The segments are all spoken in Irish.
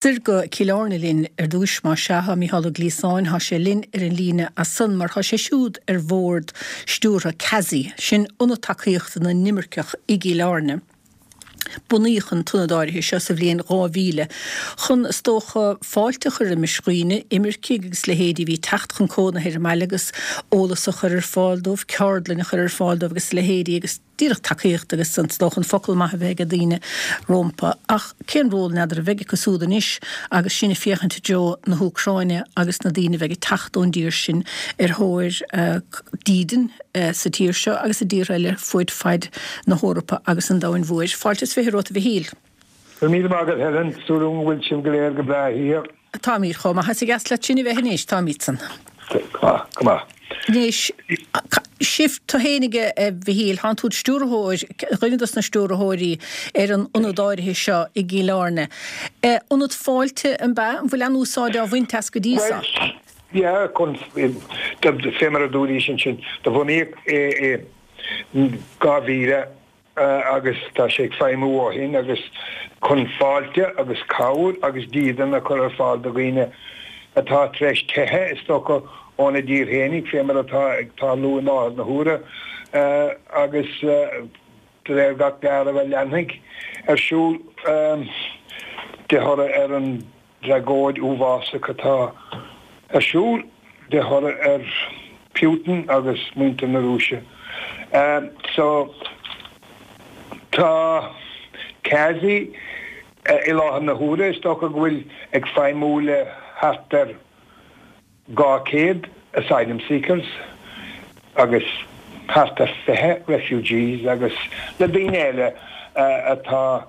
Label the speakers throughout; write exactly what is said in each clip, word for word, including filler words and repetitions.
Speaker 1: Soir go Cill Airne linn ar dtúis más ea tá Mícheál Ó Gliasáin, tá sé linn ar an líne as san mar tá sé siúd ar bhord stiúrtha CASI, sin Ionad Tacaíochta na nImirceach i gCill Airne. Bunaíodh an t-ionad áirithe seo sa bhliain dhá mhíle chun, is dócha, fáilte a chur roimis dhaoine, imircigh agus leithéidí a bhí ag teacht chun cónaithe ar an mbaile agus eolas a chur ar fáil dóibh, ceardlainn a chur ar fáil dóibh agus a leithéidí agus díreach tacaíocht agus is dócha an focal maith a bheith ag daoine rómpa. Ach cén ról, n'fheadar, a bheidh acu súd anois agus sinn ag féachaint i dtreo na hÚcráine agus na daoine a bheidh ag teacht ón dtír sin ar thóir dídean sa tír seo agus i dtíortha eile fuaid faid na hEorpa agus an domhain mhóir. Fáilte is fiche romhat a Mhichíl.
Speaker 2: Go raibh míle maith agat Helen, súil agam go bhfuil sibh go léir go breá thiar.
Speaker 1: Táimid chomh maith is a dheas leat sin a bheith anois, táimidsan.
Speaker 2: Go maith, go maith.
Speaker 1: Anois, sibh, tú fhéinig a Mhichíl, thánn tú id stiúrthóir, dhuine dos na stiúrthóirí ar an ionad áirithe seo i gCill Airne. Ionad fáilte, an b'ea? An bhfuil aon úsáid á bhaint as go dtí
Speaker 2: so? Bhuel, yeah, chun, fé mar a dúraís ansin, do bunaíodh é i dhá mhíle, agus tá sé ag feidhmiú ó shin agus chun fáilte agus cabhair agus dídean a chur ar fáil do dhaoine atá tar éis teitheadh, is dócha, óna dtír fhéinig, fé mar atá ag tarlú i láthair na huaire agus de réir gach dealraimh a leanfaidh ar siúl de thoradh ar an dtragóid uafásach atá ar siúl de thoradh ar Putin agus muintir na Rúise. So, tá CASI i láthair na huaire, is dócha go bhfuil ag feidhmiú le thart ar dhá chéad asylum seekers agus thart ar fiche refugees agus le daoine eile atá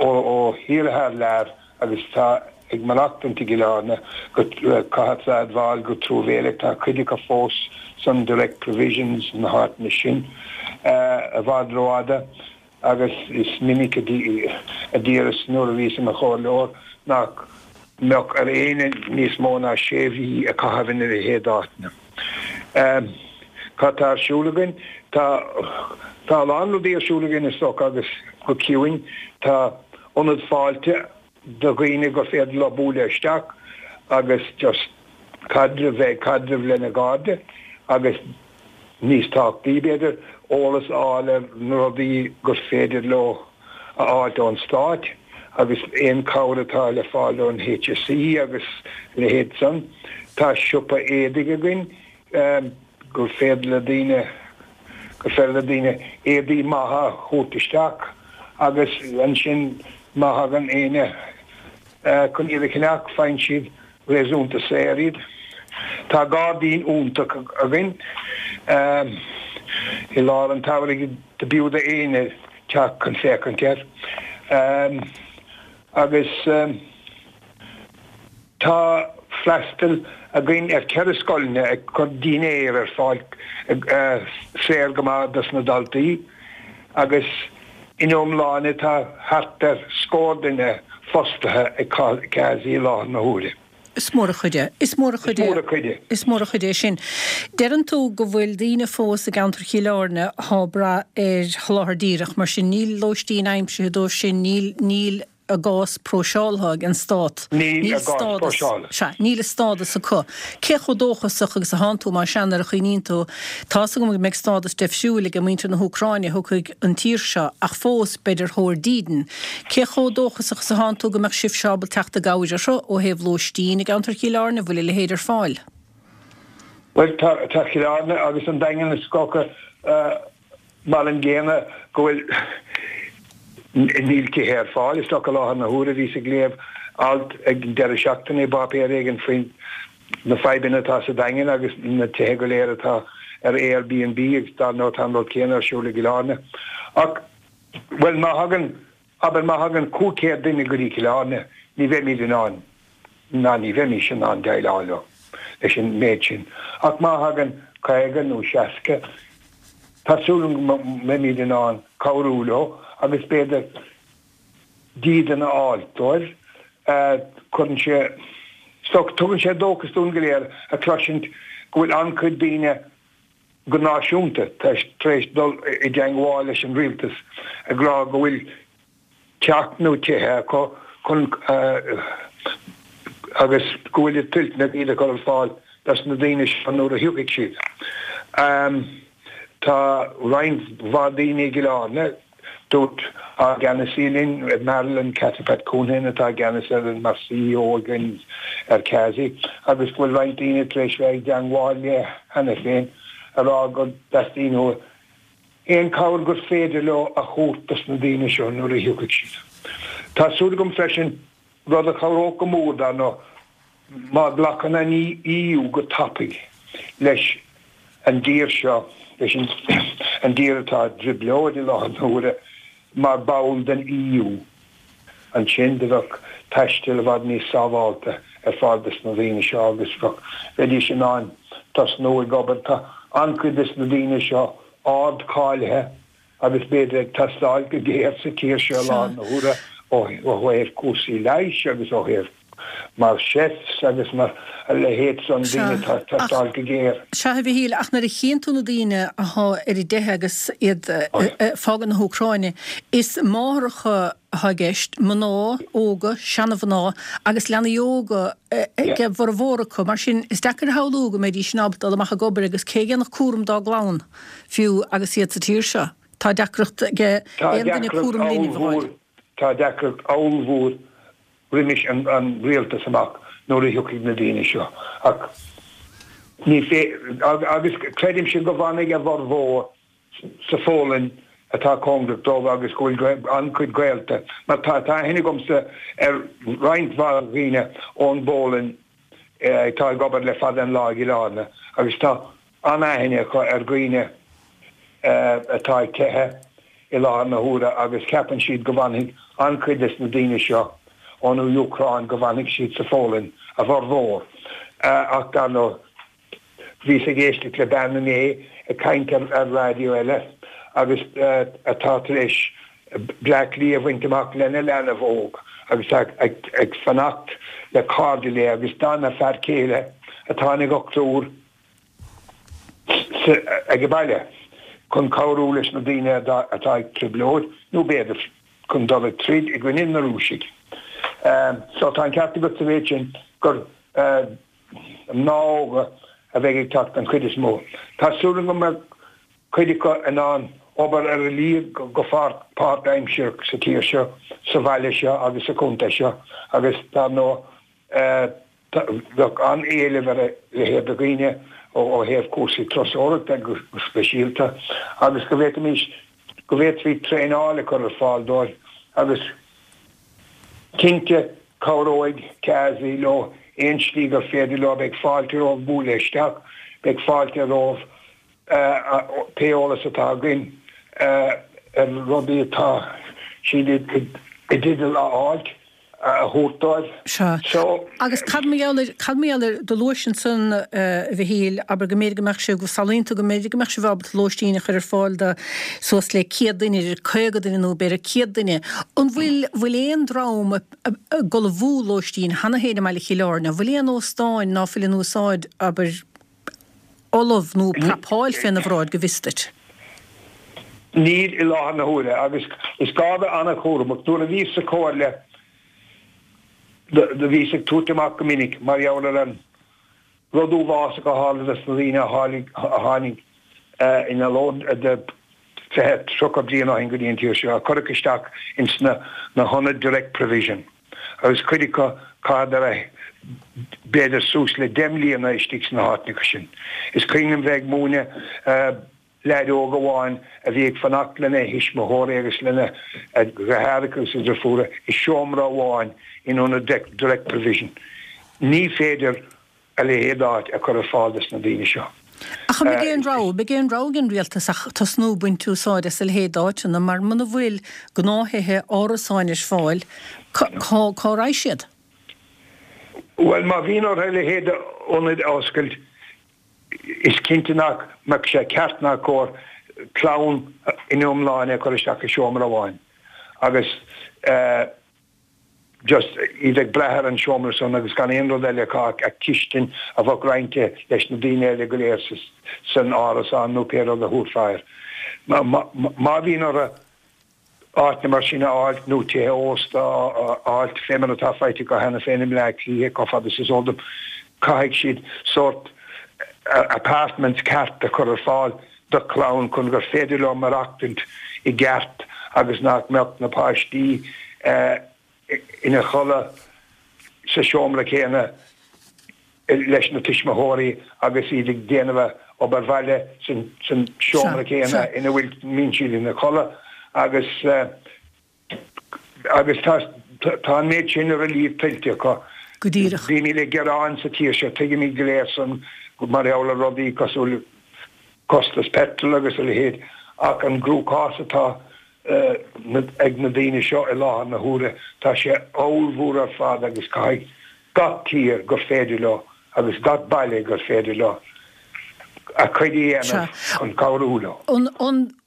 Speaker 2: ó thíortha thar lear agus atá ag maireachtaint i gCill Airne go caithfidh a admháil go truamhéalach tá cuid acu fós san direct provisions na háiteanna sin i bhfad rófhada agus is minic a d'iarras nuair a bhíos i mo chomhairleoir nach mbeadh ar éinne níos mó ná sé mhí a chaitheamh ina leithéid d'áiteanna. Cad tá ar siúl againn? Tá tá a lán rudaí ar siúl againn is dócha agus go ciúin. Tá ionad fáilte do dhaoine gur féidir leo bualadh isteach agus just caidreamh, bheith ag caidreamh lena gcairde agus níos tábhachtaí b'fhéidir, eolas a fháil ar na rudaí gur féidir leo a fháilt ón Stát agus aon cabhair atá le fáil ón HSE agus a leithéid san. Tá siopa éadaigh againn gur féidir le daoine gur féidir le daoine éadaí maithe a thabhairt isteach agus ansin má thagann éinne chun iad a cheannach faigheann siad réasúnta saor iad. Tá gairdín iontach againn i lár an tsamhraidh do b'fhiú d'éinne teacht chun féachaint air agus tá freastal againn ar ceithre scoileanna ag cur dinnéar ar fáil saor go maith dos na daltaí agus in iomláine tá thart ar scór duine fostaithe ag CASI i láthair na huaire.
Speaker 1: Is mór an chuid é. Is mór an chuid é. Is mór an chuid é. Is mór an chuid é sin. Deireann tú go bhfuil daoine fós i gceantar Chill Airne athá ag brath ar sholáthar díreach, mar sin níl lóistín aimsithe dóibh sin, níl, níl a gcás próiseáltha ag an Stát.
Speaker 2: Níl a gcás próiseáltha.
Speaker 1: Sea, níl a stádas acu. Cé chomh dóchasach agus athánn tú, más ea, nuair a chuimhníonn tú, tá's agam go mbeidh stádas deifriúil ag muintir na hÚcráine a thiocfaidh an tír seo, ach fós beid ar thóir dídean. Cé chomh dóchasach is athánn tú go mbeadh sibhse ábalta teacht i gcabhair orthu ó thaobh lóistín i gceantar Chill Airne, bhfuil a leithéid ar fáil?
Speaker 2: Bhuel, tá Cill Airne agus an Daingean is dócha mar an gcéanna go bhfuil níl tithe ar fáil. Is dócha i láthair na huaire, bhíos ag léamh alt ag an deireadh seachtaine i bpáipéar éigin faoi na fadhbanna atá sa Daingean agus na tithe go léir atá ar Airbnb agus dar ndóigh tá an rud céanna ar siúl i gCill Airne. Ach, bhuel, má thagann Abair má thagann cúig chéad duine go dtí Cill Airne, ní bheimid in ann, ná ní bheimis in ann déileáil leo, leis an méid sin. Ach má thagann caoga nó seasca, tá súil agam go mbeimid in ann cabhrú leo agus b'fhéidir dídean a fháil dóibh. Cuireann sé, tugann sé dóchas dúinn go léir a chloisint go bhfuil an-chuid daoine, go náisiúnta, tar éis dul i dteangmháil leis an rialtas ag rá go bhfuil teach nó tithe acu chun agus go bhfuil toilteanach iad a chur ar fáil dos na daoine seo nuair a thiocfaidh siad. Tá roinnt mhaith daoine i gCill Airne, dúirt ár gceannasaí linn, Marilyn Catty-Pat Counihan atá i gceannas ar an mar CEO againn ar CASI, agus go bhfuil roinnt daoine tar éis bheith i dteangmháil léi cheana féin a rá go dteastaíonn uathu aon cabhair gur féidir leo a thabhairt dos na daoine seo nuair a thiocfaidh siad. Tá súil agam freisin, rud a chabhródh go mór dar ndóigh, má ghlacann an EU go tapaidh leis an dtír seo, leis an dtír atá i dtrioblóid i láthair na huaire, mar ball den EU, ansin do bheadh taisteal i bhfad níos sábhálta ar fáil dos na daoine seo agus bheadh, bheidís in ann tosnú ag obair. Tá an-chuid des na daoine seo ard-cháilithe agus b'fhéidir ag teastáil go géar sa tír seo i láthair na huaire ó thaobh cúrsaí leighis agus ó thaobh mar chefs agus mar a leithéid san, daoine atá ag teastáil go géar.
Speaker 1: Sea, a Mhichíl, ach nuair a chíonn tú na daoine athá ar a dteitheadh agus iad ag fágáil na hÚcráine, is máithreacha athá i gceist, mná óga, seana-mhná agus leanaí óga ag a bhformhór acu. Mar sin, is deacair a shamhlú go mbeidís sin ábalta dul amach ag obair agus cé a dhéanfadh cúram dá gclann fiú agus iad sa tír seo? Tá deacracht ag aon duine cúram linbh a fháil.
Speaker 2: Tá deacracht ollmhór roimis an rialtas amach nuair a thiocfaidh na daoine seo. Ach ní agus creidimse go bhfanfaidh a bhformhór sa Pholainn atá cóngarach dóibh agus go bhfuil an-chuid gaolta, mar tá aithne agamsa ar roinnt mhaith dhaoine ón bPolainn atá ag obair le fada an lá i gCill Airne agus tá an-aithne acu ar dhaoine atá ag teitheadh i láthair na huaire agus ceapann siad go bhfanfaidh an-chuid des na daoine seo ón Úcráin, go bhfanfaidh siad sa Pholainn, a bhformhór. Ach dar ndóigh, bhíos ag éisteacht le bean inné ag caint ar raidió eile agus atá tar éis Bleá Cliath a bhaint amach lena leanbh óg agus tá ag fanacht le cairde léi agus d'fhan a fear céile atá ina dhochtúir ag baile chun cabhrú leis na daoine atá ag trioblóid nó b'fhéidir chun dul ag troid i gcoinne na Rúisigh. So tá an ceart agat sa mhéid sin gur mná óga a bheidh ag teacht an chuid is mó. Tá súil agam go mbeidh cuid acu in ann obair ar a laghad go páirtaimsearach sa tír seo, sa bhaile seo agus sa chontae seo agus dar ndóigh bheadh an-éileamh ar a leithéid de dhaoine ó thaobh cúrsaí turasóireachta go speisialta agus go bhféadfaimis, go bhféadfaí traenáil a chur ar fáil dóibh agus cinnte cabhróidh CASI leo aon slí gur féidir leo, beidh fáilte romhaibh bualadh isteach, beidh fáilte romhaibh pé eolas atá againn ar rudaí atá siad i dteideal a fháilt a thabhairt dóibh.
Speaker 1: Sea.
Speaker 2: So.
Speaker 1: Agus cad mar gheall ar, cad mar gheall ar, do luais ansan, a Mhichíl, abair go mb'fhéidir go mbeadh sibh, go samhlaíonn tú go mb'fhéidir go mbeadh sibh ábalta lóistín a chur ar fáil do suas le céad duine, idir caoga duine nó b'fhéidir céad duine. An bhfuil, bhfuil aon dream ag ullmhú lóistín cheana féin i mbaile Chill Airne? An bhfuil aon óstáin ná fuil in úsáid, abair, ullamh nó prapáil féna bhráid, go bhfios duit?
Speaker 2: Níl i láthair na huaire agus is gá a bheith an-chúramach. Nuair a bhíos sa chomhairle do bhíos ag tabhairt amach go minic mar gheall ar an rud uafásach a tharla dos na daoine a tháinig ina lód de fiche, tríocha bliain ó shin go dtí an tír seo, a cuireadh isteach ins na hionaid direct provision agus cuid acu chaitheadar b'fhéidir suas le deich mbliana istigh sna háiteanna sin. Is cuimhin liom bheith ag múineadh leaid óg amháin a bhí ag fanacht lena thuismitheoirí agus lena dheartháireacha agus a dhriofúra i seomra amháin in ionad direct provision. Ní féidir a leithéid d'áit a chur ar fáil dos na daoine seo.
Speaker 1: Ach an mbeidh aon rogha, beidh aon rogha ag an rialtas ach tosnú ag baint úsáid as a leithéid d'áiteanna mar muna bhfuil gnáth-thithe, árasáin ar fáil, cá, cá raghaidh siad?
Speaker 2: Bhuel, má bhíonn orthu a leithéid d'ionaid a oscailt, is cinnte nach mbeadh sé ceart ná cóir clann ina iomláine a chur isteach i seomra amháin agus just iad ag brath ar an seomra san agus gan aon rud eile acu ach cistin a bheadh roinnte leis na daoine eile go léir san árasán nó pé rud a thabharfá air. Má bhíonn orthu Áiteanna mar sin a fháilt nó tithe ósta a fháilt fé mar atá faighte acu cheana féin i mBleá Cliath chomh fada is is eol dom. Caithfidh siad sórt apartments ceart a chur ar fáil do chlann chun gur féidir leo maireachtaint i gceart agus nach mbeadh na páistí ina chodladh sa seomra céanna leis na tuismitheoirí agus iad ag déanamh obair bhaile san seomra céanna ina bhfuil mbíonn siad ina chodladh agus agus tá tá an méid sin ar a líomh tuillte acu.
Speaker 1: Go díreach.
Speaker 2: Bímid ag gearán sa tír seo, tuigimid go léir san mar gheall ar rudaí cosúil costas petrol agus a leithéid ach an gcruachás atá ag na daoine seo i láthair na huaire, tá sé ollmhór ar fad agus caithfidh gach tír gur féidir leo agus gach baile gur féidir leo a gcuid a dhéanamh chun cabhrú leo.
Speaker 1: An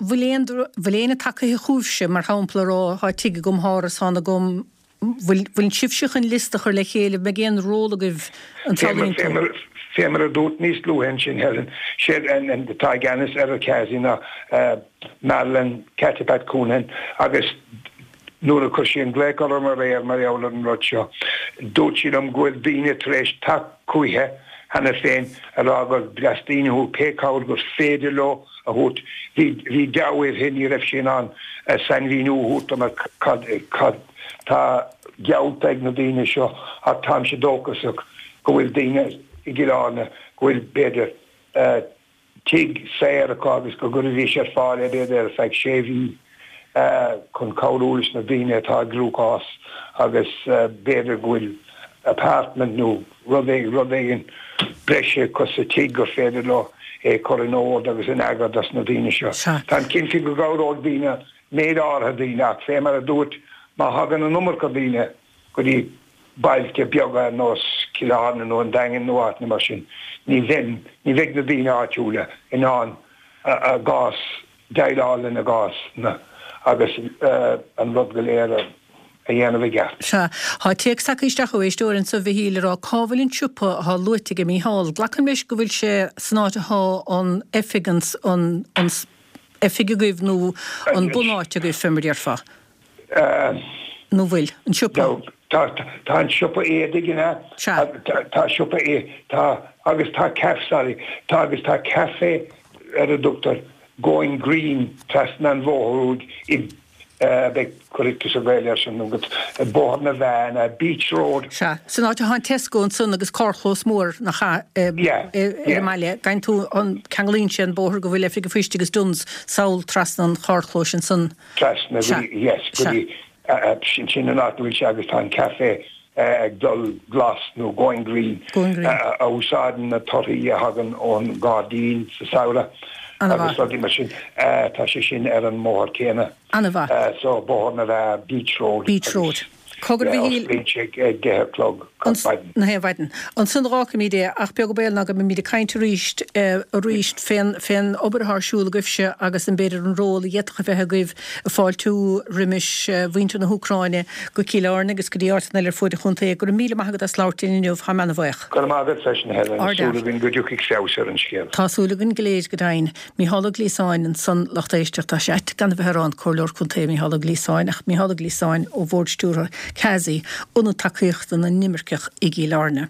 Speaker 1: bhfuil aon, bhfuil éinne tagaithe chugaibhse, mar shampla, a rá, tá tigh agam, tá árasán agam, bhfuil, bhfuil sibhse chun liosta a chur le chéile, mbeidh aon ról agaibh an
Speaker 2: Fé mar, fé mar a dúirt níos luaithe ansin, Helen, siad an atá i gceannas ar an CASI ná Marilyn Cathy Pat Counihan agus nuair a chuir sí an glaoch orm aréir mar gheall ar an rud seo, dúirt sí liom go bhfuil daoine tar éis teacht chúiche cheana féin a rá go dteastaíonn uathu pé cabhair gur féidir leo a thabhairt. Bhí, bhí deabhadh uirthi, ní raibh sí in ann sainmhíniú a thabhairt dom ar cad, cad tá geallta ag na daoine seo ach táimse dóchasach go bhfuil daoine i gCill Airne go bhfuil, b'fhéidir, tigh saor acu agus go gcuirfidís ar fáil é b'fhéidir ar feadh sé mhí chun cabhrú leis na daoine atá i gcruachás agus b'fhéidir go bhfuil apartment nó rud rud éigin breise acu sa tigh gur féidir leo é chur in ord agus in eagar dos na daoine seo. Táim cinnte go gcabhróidh daoine, méid áirithe daoine ach fé mar a dúirt, má thagann an iomarca daoine go dtí bailte beaga ar nós Cill Airne nó an Daingean nó áiteanna mar sin, ní bheidh, ní bheidh na daoine áitiúla in ann a gcás, déileáil lena gcásanna agus an rud go léir a dhéanamh i gceart.
Speaker 1: Sea. Tá téacs tagtha isteach ó éisteoir anso, a Mhichíl, ag rá cá bhfuil an siopa atá luaite ag Mícheál. Glacaim leis go bhfuil sé san áit atá an oifig, an, an oifig agaibh nó an bunáit agaibh, fé mar a déarfá. Nó bhfuil? An siopa?
Speaker 2: Tá, tá an siopa éadaigh in ea?
Speaker 1: Sea.
Speaker 2: Tá siopa é, tá, agus tá caf, sorry, tá agus tá café ar a dtugtar Going Green trasna an bhóthair úd i, beidh, cuirfidh tusa Gaeilge air sin agat, Bóthar na Mheá, Beach Road.
Speaker 1: Sea, san áit atá an Tesco ansan agus carrchlós mór nach ea,
Speaker 2: Yeah,
Speaker 1: ar
Speaker 2: yeah.
Speaker 1: an mbaile. Gabhann tú an, ceanglaíonn sé an bóthar go bhfuil Oifig an Phoist agus Dunnes sall trasna an charrchlóis ansan.
Speaker 2: Trasna go
Speaker 1: Sea,
Speaker 2: dtí, yes, go
Speaker 1: sea.
Speaker 2: dtí, sin, sin an áit a bhfuil sé agus tá an café ag dul glas nó going green,
Speaker 1: Going green.
Speaker 2: a úsáideann na torthaí a thagann ón ngairdín sa samhradh
Speaker 1: Ana-mhaith.
Speaker 2: agus rudaí mar sin. Tá sé sin ar an mbóthar céanna.
Speaker 1: Ana-mhaith.
Speaker 2: So Bóthar na Mheá, Beach Road.
Speaker 1: Beach Road. Cogar a Mhichíl.
Speaker 2: Osclaíonn sé ag deich a chlog gach maidin.
Speaker 1: Na haon mhaidin. Ansan d'fhágfaimid é, ach beag an baol ná go mbeimid ag caint arís arís fén fén obair atá ar siúl agaibhse agus an b'fhéidir an ról a d'fhéadfadh a bheith agaibh ag fáiltiú roimis mhuintir na hÚcráine go Cill Airne agus go dtí áiteanna eile ar fuaid an chontae. Go raibh míle maith agat as labhairt linn inniu, táim ana-bhuíoch.
Speaker 2: Go raibh maith agat freisin, Helen.
Speaker 1: Ard
Speaker 2: Súil againn go dtiocfaidh feabhas ar an scéal.
Speaker 1: Tá súil againn go léir, go deimhin. Mícheál Ó Gliasáin ansan, lucht éisteachta, tá sé ait gan a bheith ag rá an Comhairleoir Contae Mícheál Ó Gliasáin, ach Mícheál Ó Gliasáin ó Bhord Stiúrtha CASI, Ionad Tacaíochta na nImirceach i gCill Airne.